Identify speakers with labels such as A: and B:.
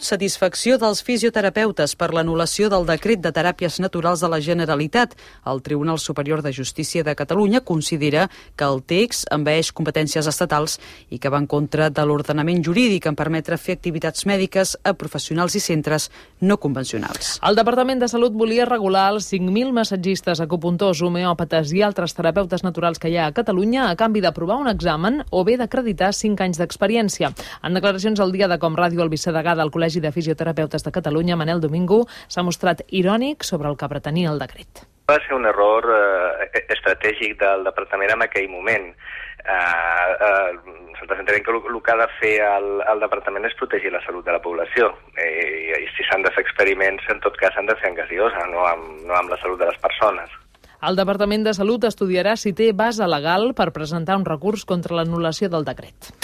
A: Satisfacció dels fisioterapeutes per l'anul·lació del decret de teràpies naturals de la Generalitat. El Tribunal Superior de Justícia de Catalunya considera que el text envaeix competències estatals i que va en contra de l'ordenament jurídic en permetre fer activitats mèdiques a professionals i centres no convencionals.
B: El Departament de Salut volia regular els 5.000 massatgistes, acupuntors, homeòpates i altres terapeutes naturals que hi ha a Catalunya a canvi d'aprovar un examen o bé d'acreditar 5 anys d'experiència. En declaracions al Dia de Com Ràdio, el vicedegà del Col·legi de Fisioterapeutes de Catalunya, Manel Domingo, s'ha mostrat irònic sobre el que pretenia el decret.
C: Va ser un error estratègic del departament en aquell moment. Nosaltres entenem que el que ha de fer el departament és protegir la salut de la població. I si s'han de fer experiments, en tot cas s'han de fer en gasiosa, no amb la salut de les persones.
B: El Departament de Salut estudiarà si té base legal per presentar un recurs contra l'anul·lació del decret.